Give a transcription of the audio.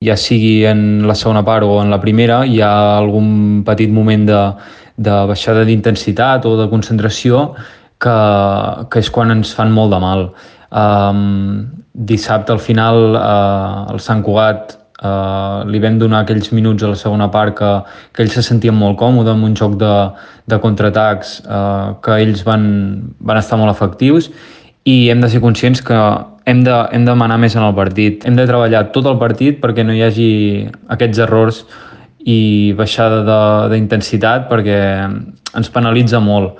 ja sigui en la segona part o en la primera, hi ha algun petit moment de baixada d'intensitat o de concentració que és quan ens fan molt de mal. Dissabte al final el Sant Cugat li vam donar aquells minuts a la segona part que ells se sentien molt còmodes amb un joc de contraatacs que ells van estar molt efectius i hem de ser conscients que hem de manar més en el partit. Hem de treballar tot el partit perquè no hi hagi aquests errors i baixada d'intensitat perquè ens penalitza molt.